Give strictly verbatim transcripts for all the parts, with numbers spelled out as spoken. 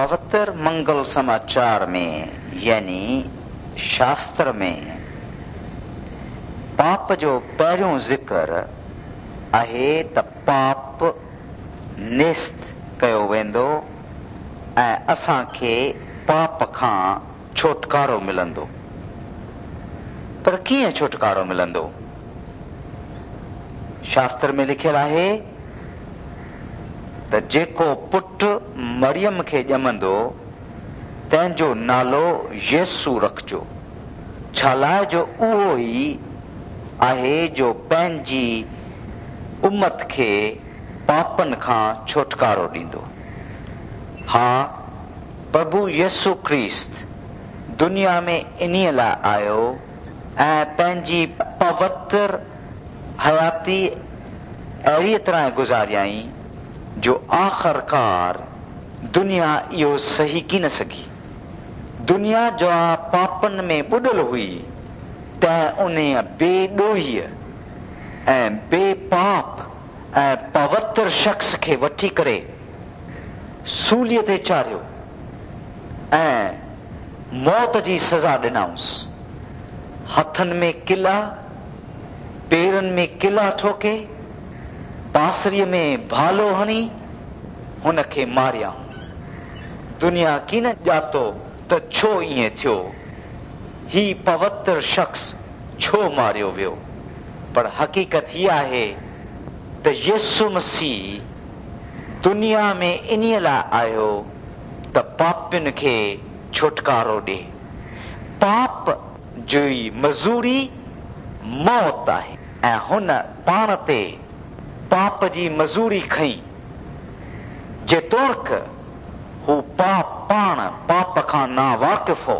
پوتر منگل سماچار ۾ يعني شاستر ۾ پاپ جو پهريون ذڪر آهي ته پاپ نيست ڪيو ويندو ۽ اسان کي پاپ کان ڇوٽڪارو ملندو. پر ڪيئن ڇوٽڪارو ملندو؟ شاستر ۾ لکيل آهي ته جيڪو پٽ مريم کي ڄمندو تنهن جو نالو يسوع رکجو، ڇا لاءِ جو اهو ئي آهي جو پنهنجي امت کي پاپن کان ڇوٽڪارو ڏيندو. ها، پرڀو يسوع ڪرست دنيا ۾ انهيءَ لاءِ آيو ۽ پنهنجي پوتر حياتي اهڙيءَ طرح گذاريائين جو آخرڪار دنيا اهو سهي ڪين سگهي. دنيا جا پاپن ۾ ٻڏل هئي تنهن انهيءَ بي ڏوهيءَ ۽ بي پاپ ۽ پوتر شخص کي وٺي ڪري سوليءَ تي چاڙهيو ۽ موت جي سزا ڏنائونس. هٿن ۾ ڪلا، پيرن ۾ ڪلا ٺوڪي، پاسريءَ ۾ ڀالو هڻي هن کي ماريائون. دنيا ڪين ڄاتو ته ڇو ائين ٿيو، هي پوتر شخص ڇو ماريو ويو. پر حقيقت هيءَ آهي ته يسوع مسيح دنيا ۾ انهيءَ لاءِ آيو ته پاپين کي ڇوٽڪارو ڏئي. پاپ جي مزوري موت آهي ۽ هن پاڻ تي پاپ جي مزوري کنئي. جيتوڻيڪ هو پاپ پاڻ پاپ کان ناواقف هو،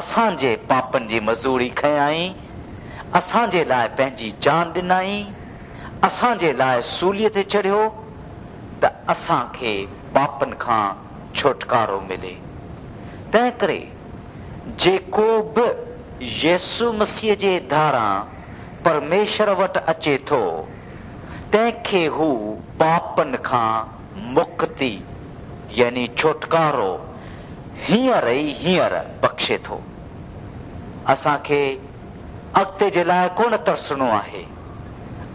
اسان جي پاپن جي مزوري کنيائين، اسان جي لاءِ پنهنجي جان ڏنائين، اسان جي لاءِ سوليءَ تي چڙهيو ته اسان کي پاپن کان ڇوٽڪارو ملي. تنهن ڪري جيڪو به يسوع مسيح جي ڌاران پرميشور وٽ اچي ٿو تنهن کي هو پاپن کان مڪتي يعني ڇوٽڪارو هينئر ئي هينئر بخشي ٿو. اسان کي اڳتي جي لاءِ ڪونه ترسڻو آهي.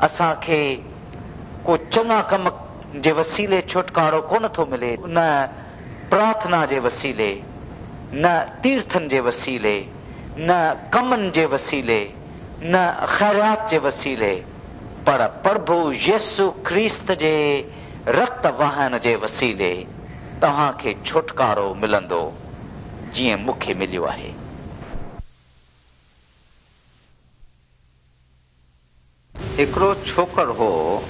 اسان کي ڪو چڱا ڪم جي وسيلي ڇوٽڪارو ڪونه ٿو ملي، نه پرارٿنا جي وسيلي، نه تيرٿن جي وسيلي، نه ڪمن جي وسيلي، نه خيرات جي وسيلي، پر پرڀو يسوع ڪرست جي رت وهائڻ جي وسيلي توهان کي ڇوٽڪارو ملندو، جيئن مون کي مليو آهي. هڪڙو ڇوڪر هو.